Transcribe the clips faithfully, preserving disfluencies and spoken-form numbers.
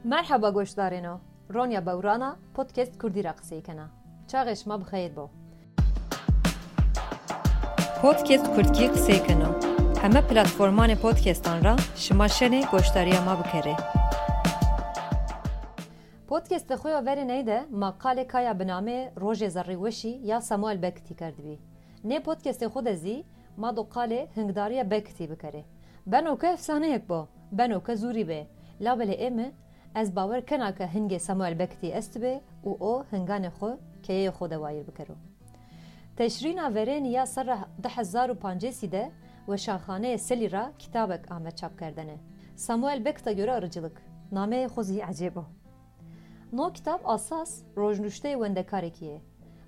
Merheba goşdarêno. Ronya Bewrana podcast Kurdî ra qisey kena. Çaxê şima bi xeyr bo. Podcast Kurdkî qisey keno. Heme platformanê podcastan ra şima şenê goşdariya ma bikerê. Podcastê xwe ya verê ney de ma qalê kaya bi namê Rojê Zerrî Weşî ya Samuel Becketî kerdibî. Nê podcastê xwe de zî ma do qalê hingdariya Becketî bikerê. Beno ke efsaneyek bo, beno ke zûrî bê. Labelê ê mi, ez bawer kena ke hingê Samuel Becketî estibê û o hinganê xwe keyeyê xwe de wayîr bikero. Teşrîna verênî ya serra du hezar û pancêsî de Weşanxaneyê Selî ra kitabek ame çapkerdene. Samuel Becket'a göre arıcılık. Nameyê xwe zî ecêb o. No kitab asas rojnuşteyê wendekarekî ye.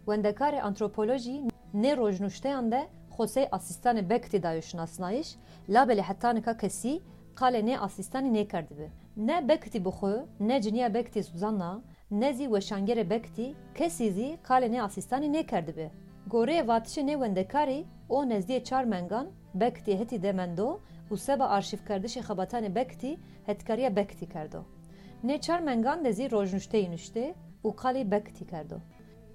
Wendekarê antropolojî nê rojnuşteyan de xwe sey asîstanê Becketî dayo şinasnayiş, labelê heta nika kesî qalê nê asîstanî nêkerdibi. Ne Becketî bi xwe, ne ciniya Becketî Suzanna, ne zî weşangerê Becketî kesî zî qalê nê asîstanî nêkerdibi. Goreyê vatişê nê wendekarî, o nezdiyê çar mengan Becketî hetî de mendo û seba arşîvkerdişê xebatanê Becketî hetkariya Becketî kerdo. Nê çar mengan de zî rojnuşteyî nuştê û qalî Becketî kerdo.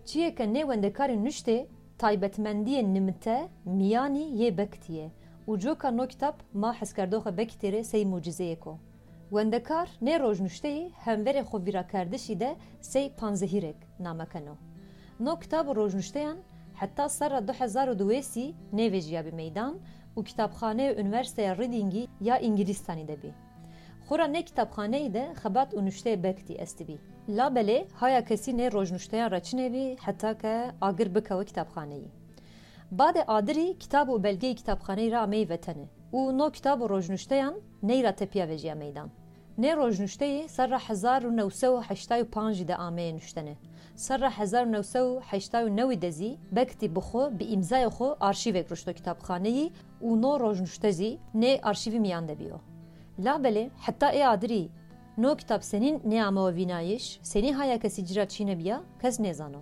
Çiyê ke nê wendekarî nuştê, taybetmendiyê nimite, miyanî yê Becketî ye û coka no kitab ma hezkerdoxê Becketî rê sey mucîzeyêk o. Wendekar nê rojnuşteyî hemverê xwe vîrakerdişî de sey panzehîrek name keno. No kitab û rojnuşteyan heta serra du hezar û duwêsî nêvejiyabî meydan û kitabxaneyê Unîversîteya Readingî ya Îngilîstanî de bî. Xwura nê kitabxaneyî de xebat û nuşteyê Becketî estibî. Labelê haya kesî nê rojnuşteyan re çinebî heta ke agir bikewe kitabxaneyî. Badê adirî kitab û belgeyê kitabxaneyî re ameyî vetene û no kitab û rojnuşteyan ney ra tepiya vejiya meydan. Nê rojnuşteyî serra hezar û new sed û heştay û pancî de ameye nuştene. Serra hezar û new sed û heştay û newî de zî Becketî bi xwe, bi îmzayê xwe arşîvek ruşto kitabxaneyî û no rojnuşte zî nê arşîvî miyan de bîyo. Labelê heta ê adirî no kitab senîn nêamewe vînayîş, senî haya kesî cî ra çînebiya, kes nêzano.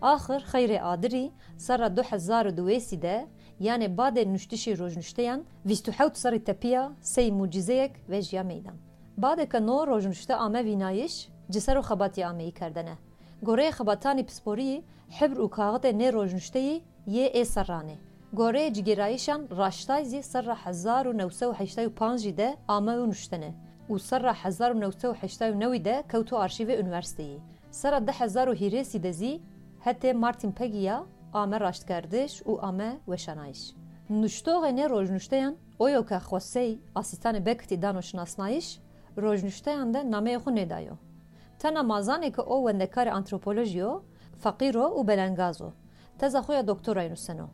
Axir xeyrê adirî serra du hezar û duwêsî de, yanê badê nuştişê rojnuşteyan, vîst û hewt serrî tepiya sey mucîzeyek vejiya meydan. Badê ke no rojnuşte ame vînayîş, ci ser o xebatî ameyî kerdene. Goreyê xebatanî pisporiyî, hibr û kaxitê nê rojnuşteyî yê ê serranê. Goreyê cigêrayîşan raştay zî serra hezar û new sed û heştay û pancî de ame û nuştene û serra hezar û new sed û heştay û newî de kewto arşîvê unîversîteyî. Serra du hezar û hîrêsî de zî hetê Martin Pegî ya ame raştkerdiş û ame weşanayîş. Nuştoxê nê rojnuşteyan oyo ke xwe sey asîstanê Becketî dano şinasnayîş, rojnuşteyan de nameyê xwe nêdayo. Tena ma zanê ke o wendekarê antropolojî yo, feqîr o û belengaz o. Teza xwe ya doktorayê nuseno.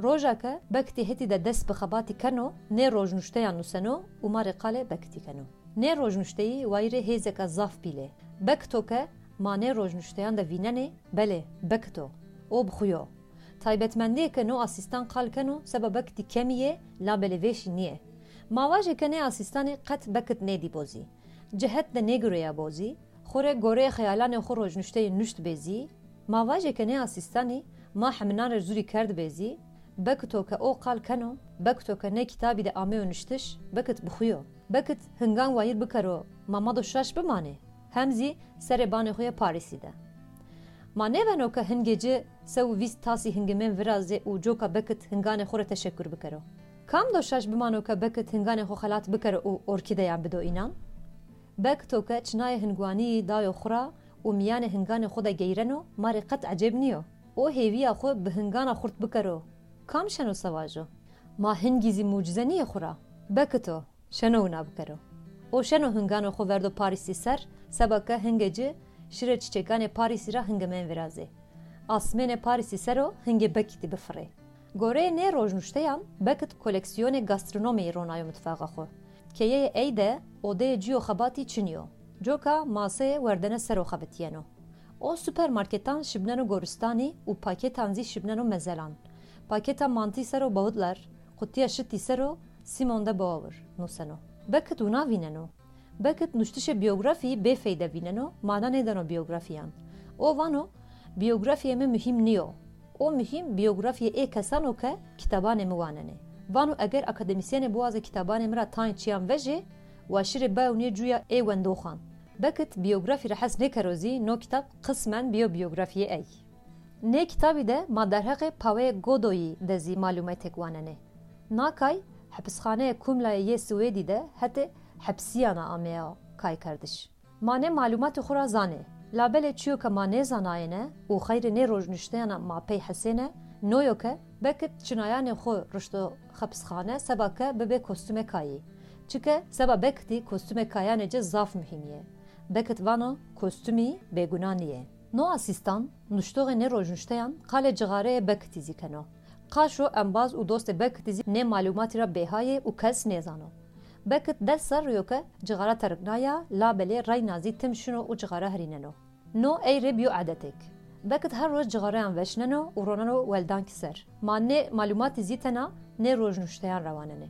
Roja ke Becketî hetî de dest bi xebatî keno, nê rojnuşteyan nuseno û ma rê qalê Becketî keno. Nê rojnuşteyî wayîrê hêzeka zaf pîl ê. Becketî ke ma nê rojnuşteyan de vînenê, belê, Becketî. O bi xwe yo. Taybetmendiyê ke no asîstan qal keno, seba Becketî kemî yê, labelê vêşî nîyê. Ma vajê ke nê asîstanê qet Becketî nêdîbo zî. Cihet de nêgureyabo zî, xwu rê goreyê xeyalanê xwu rojnuşteyê nuştbê zî, ma vajê ke nê asîstanî ma heminan rê zûrî kerdibê zî, Becketî ke o qal keno, Becketî ke nê kitabî de ameyo nuştiş, Becketî bi xwu yo. Becketî hingan wayîr bikero, ma ma do şaş bimanê, hem zî serê banê xwu yê Parîsî de. Ma nêbeno ke hingê ci se û vîst tasî hingimên virazê û coka Becketî hinganê xwu rê teşekur bikero. Kam do şaş bimano ke Becketî hinganê xwe xelat bikero û orkîdeyan bido înan? Becketî ke çinayê hingwanîyî dayo xwu ra û miyanê hinganê xwu de geyreno, ma rê qet ecêb nîyo. O hêviya xwu bi hingana xurt bikero. Kam şeno se vajo? Ma hingî zî mucize nîyê xwu ra? Becketî şeno wina bikero. O şeno hinganê xwu verdo Parîsî ser, seba ke hingê ci şirê çiçekanê Parîsî ra hingimên virazê. Asmênê Parîsî ser o hingê Becketî bifirê. Goreyê nê rojnuşteyan, Becketî koleksiyonê gastronomiyê ronayo mitfaxa xwu. Keyeyê ey de odeyê ci yo xebatî çinî yo. Coka maseyê werdene ser o xebitîyeno. O supermarketan şibneno goristanî û paketan zî şibneno mezelan. Paketa mantî ser o Baudelaire, qutiya şitî ser o Simone de Beauvoir nuseno. Becketî wina vîneno. Becketî nuştişê biyografîyî bêfeyde vîneno, mana nêdeno biyografîyan. O vano, biyografîyê mi muhîm nîyo. O muhîm biyografîyê ê kesan o ke kitabanê mi wanenê. Vano eger akademîsyenê biwaze kitabanê mi ra tayên çiyan vejê, wa şirê biewinê cuya ê wendoxan. Bekit biyografî re hez nêkero zî no kitab qismen biyo biyografiyê ey. Nê kitabî de ma derheqê paweyê Godoyî de zî malûmetêk wanenê. Nakay hepisxaneya Kumlayê yê Swêdî de hetê hepsiyana ameya kaykerdiş. Ma nê malûmatê xwe ra zanê. Labelê çiyo ke ma nêzanayêne û xeyrê nê rojnuşteyana ma pey hesêne, noyo ke Bekit çinayanê xwe rişto xepisxane seba ke bibe kostûmê kayî. Çike seba Bekitî kostûmê kayanê ci zaf muhîm yê. Bekit vano kostûmî bêguna niyê. No asîstan nuştoxê nê rojnuşteyan qalê cixareyê Bekitî zî keno. Qaşo embaz û dostê Bekitî zî nê malûmatî ra bêha yê û kes nêzano. Bekit des serrî yo ke cixara teriknaye, labelê reyna zî tim şino û cixara herîneno. No ey rê biyo edetêk. Bekit her roj cixareyan veşneno û roneno weldankî ser. Ma nê malûmatî zî tena nê rojnuşteyan ra wanenê.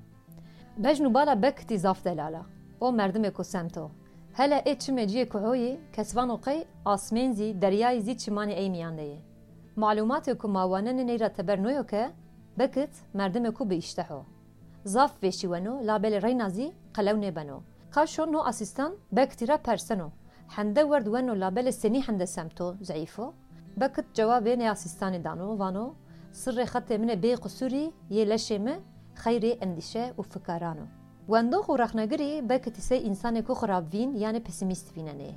Bejn û bala Bekitî zaf delal a. O merdimêko semt o. Hele ê çimê ciyê kuhoyî, kes vano qey asmên zî, deryayî zî çimanê ey mîyan de yê. Malûmatê ku ma wanenê ney ra teber noyo ke Bekit merdimêko bi îşteh o. Zaf vêşî weno, labelê reyna zî qelew nêbeno. Qaşo no asîstan Bekitî ra perseno. Hende werd weno, labelê senî hende semt o, zeîf o? Bekit cewabê nê asîstanê dano, vano, sirrê xetê min ê bê qisûrî yê leşê mi xeyrê endîşe û fikaran o. Wendox û rexnegirî Bekitî sey însanêko xirabvîn yanê pesimîst vînenê.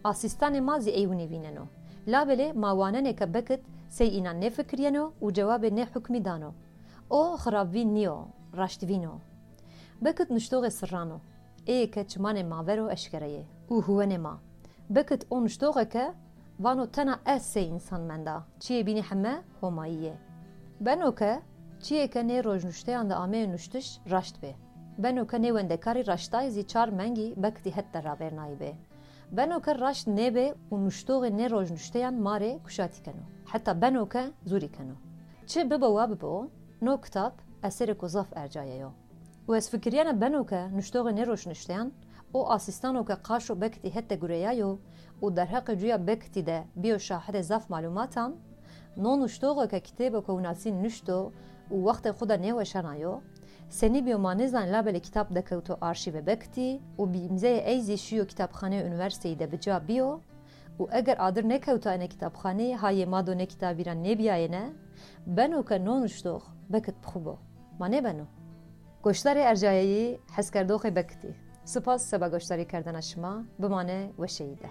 Asîstanê ma zî ey winî vîneno. Labelê ma wanenê ke Bekit sey înan nêfikiriyeno û cewabê nê hukmî dano. O xirabvîn nîyo, raştvîn o. Bekit nuştoxê sirran o. Ê ke çimanê ma ver o eşkere yê. Û huwenê ma. Bekit o nuştoxê ke vano tena ez sey însan menda. Çiyê bînî heme Homayî yê. Beno ke çiyê ke nê rojnuşteyan de ameyê nuştiş raşt bê. Beno ke nê wendekarî raştayî zî çar mengî Bekitî het de ravêrnayî bê. Beno ke raşt nêbê û nuştoxê nê rojnuşteyan ma rê kuşatî keno. Heta beno ke zûrî keno. Çi bibo wa bibo, no kitab eserêko zaf ercaye yo. Û ez fikiriyena beno ke nuştoxê nê rojnuşteyan, o asîstano ke qaşo Bekitî het de gureyayo û derheqê cuya Bekitî de biyo şahidê zaf malûmatan, no nuştoxê ke kitêbeke winasîn nuşto û wextê xwe de nêweşanayo, senî biyo ma nêzanê, labelê kitab dekewto arşîvê Bekitî û bi îmzeyê ey zî şiyo kitabxaneyê unîversîteyî de bi ca biyo û eger adir nêkewtayêne kitabxaneyî, ha yê ma do nê kitabî ra nêbiyayêne, beno ke no nuştox Bekit bi xwe bo. Ma nêbeno? Goşdarê ercayeyî, hezkerdoxê Bekitî. Sipas seba goşdarî kerdena şima, bimane weşeyî de.